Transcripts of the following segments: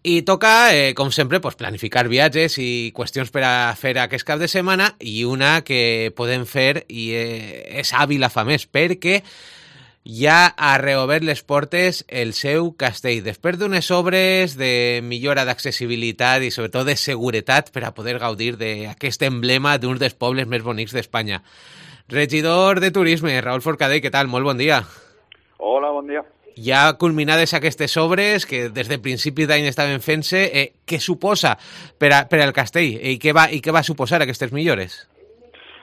I toca, com sempre, pues, planificar viatges i qüestions per a fer aquest cap de setmana, i una que podem fer i és a Vilafamés, perquè ja ha reobert les portes el seu castell, després d'unes obres de millora d'accessibilitat i sobretot de seguretat per a poder gaudir d'aquest emblema d'un dels pobles més bonics d'Espanya. Regidor de Turisme, Raül Forcadell, què tal? Molt bon dia. Hola, bon dia. Ja culminades aquestes obres que des de principis d'any estaven fent-se, què suposa per al castell i què va suposar aquestes millores?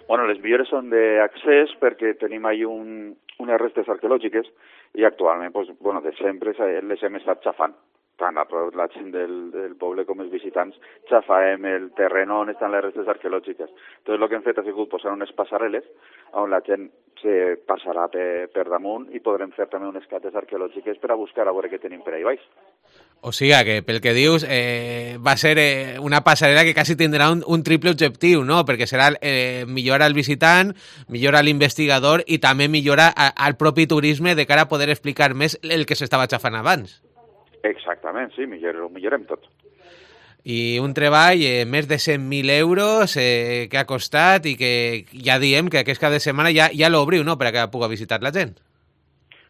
Bueno, les millores són d'accés perquè tenim ahí unes restes arqueològiques i actualment, pues, bueno, de sempre les hem estat xafant. Tant la gent del poble com els visitants xafàvem el terreno on estan les restes arqueològiques. Entonces, el que hem fet ha sigut posar unes passarel·les on la gent se passarà per damunt i podrem fer també unes cates arqueològiques per a buscar a veure què tenim per ahí baix. O sigui que, pel que dius, va ser una passarel·la que quasi tindrà un triple objectiu, no? Perquè serà millorar al visitant, millorar l'investigador i també millorar al propi turisme de cara a poder explicar més el que s'estava xafant abans. Exactament, sí, ho millorem tot. I un treball, més de 100.000 euros, que ha costat i que ja diem que aquest cap de setmana ja l'obriu, no?, per a que pugui visitar la gent.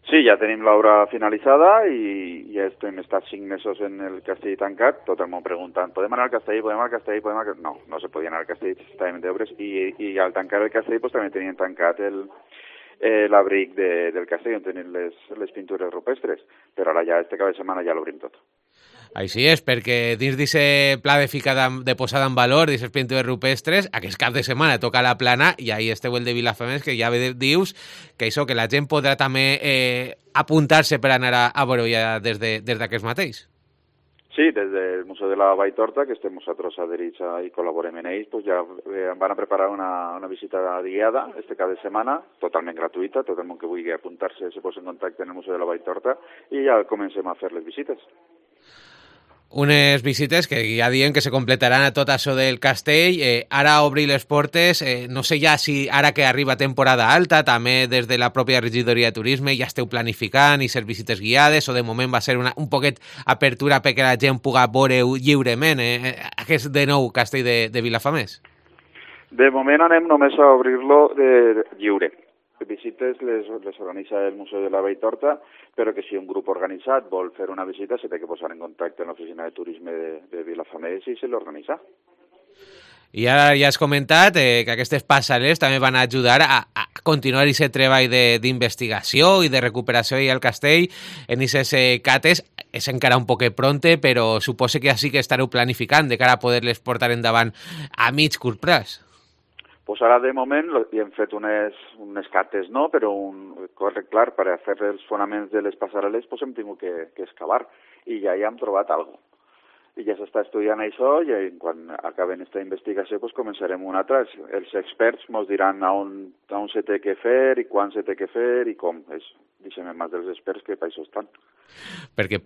Sí, ja tenim l'obra finalitzada i ja hem estat 5 mesos en el castell tancat, tot el món preguntant, podem anar al castell, podem anar al castell? No se podia anar al castell, estàvem d'obres i al tancar el castell pues, també tenien tancat l'abric del castell on tenen les pintures rupestres, però ara ja este cap de setmana ja l'obrim tot. Així és, perquè dins d'aquest pla de posada en valor d'aquestes pintures rupestres, aquest cap de setmana toca la plana i ahí esteu el de Vilafamés, que ja dius que això, que la gent podrà també apuntar-se per anar a veure ja des d'aquest mateix. Sí, des del Museu de la Vall Torta, que estem nosaltres adherits i col·laborem en ells, pues ja van a preparar una visita guiada este cap de setmana, totalment gratuïta, tot el món que vulgui apuntar-se se posa en contacte en el Museu de la Vall Torta i ja comencem a fer les visites. Unes visites que ja diem que se completaran a tot això del castell. Ara obrir les portes, no sé ja si ara que arriba temporada alta, també des de la pròpia regidoria de turisme ja esteu planificant i ser visites guiades, o de moment va ser un poquet apertura perquè la gent pugui veure lliurement aquest de nou castell de Vilafamés? De moment anem només a obrir-lo de lliure. Visites les organitza el Museu de la Vall Torta, però que si un grup organitzat vol fer una visita se té que posar en contacte amb l'oficina de turisme de Vilafamés i se l'organitza. I ara ja has comentat que aquestes passarel·les també van ajudar a continuar aquest treball d'investigació i de recuperació al castell en aquestes cates. És encara un poquet pronte, però suposo que ja sí que estareu planificant de cara a poder-les portar endavant a mig curt plaç. Pues ara, de moment, hi hem fet unes cates, no? Però clar, per a fer els fonaments de les passarel·les pues hem tingut que excavar i ja hi hem trobat alguna cosa. I ja s'està estudiant això i quan acabem aquesta investigació pues començarem una altra. Els experts ens diran on se té que fer i quan se té que fer i com. Deixem en mans dels experts que per això estan. Perquè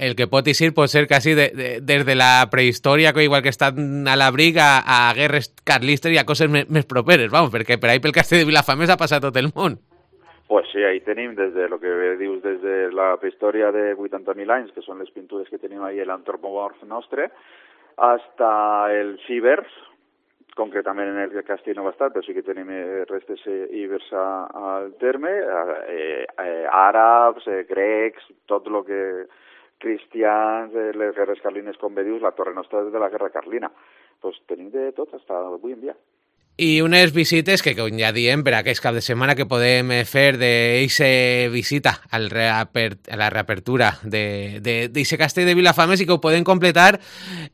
el que pot eixir pot ser quasi des de la prehistòria, igual que estan a l'abric, a guerres carlistes i a coses més properes, vamos, perquè per ahí pel castell de Vilafamés ha passat tot el món. Pues sí, ahí tenim des de lo que dius, des de la prehistòria de 80.000 anys, que són les pintures que tenim ahí l'antropomorf nostre, hasta els ibers, concretament en el castell no va estar, però sí que tenim restes ibers al terme, àrabs, grecs, tot el que cristians, les guerres carlines, com bé dius, la torre nostra de la guerra carlina. Pues tenim de tot, fins avui en dia. I unes visites que, com ja diem, per aquest cap de setmana que podem fer d'eixa visita a la reapertura d'eixe castell de Vilafamés i que ho podem completar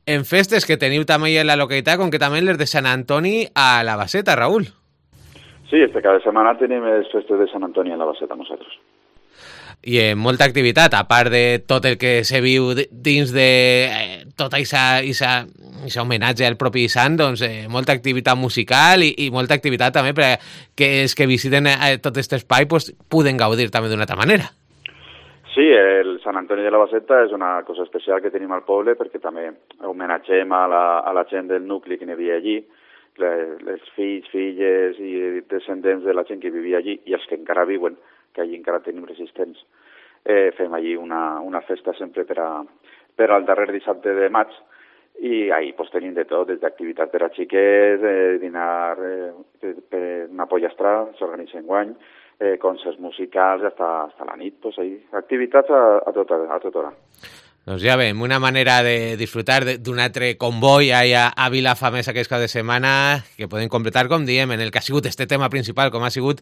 en festes que teniu també en la localitat, concretament les de Sant Antoni a la Baseta, Raül. Sí, este cada setmana tenim les festes de Sant Antoni a la Baseta nosaltres. I molta activitat, a part de tot el que se viu dins de tot aquest homenatge al propi sant, doncs molta activitat musical i molta activitat també perquè els que visiten tot aquest espai pues, puguen gaudir també d'una altra manera. Sí, el Sant Antoni de la Baseta és una cosa especial que tenim al poble perquè també homenatgem a la gent del nucli que n'hi havia allí, els fills, filles i descendents de la gent que vivia allí i els que encara viuen, que allí encara tenim resistents. Fem allí una festa sempre per a per al darrer dissabte de maig, i ahir pues, tenim de tot, des d'activitat per a xiquets, dinar per una pollastra, s'organitza enguany, concerts musicals, hasta la nit, pues, ahí, activitats a tota hora. Doncs ja veiem, una manera de disfrutar d'un altre comboi a Vilafamés aquest cap de setmana que podem completar, com diem, en el que ha sigut este tema principal, com ha sigut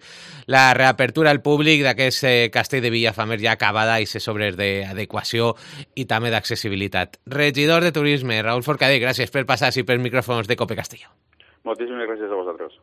la reapertura al públic d'aquest castell de Vilafamés ja acabada i ses obres d'adequació i també d'accessibilitat. Regidor de Turisme, Raúl Forcadell, gràcies per passar-s'hi per micròfons de Cope Castelló. Moltíssimes gràcies a vosaltres.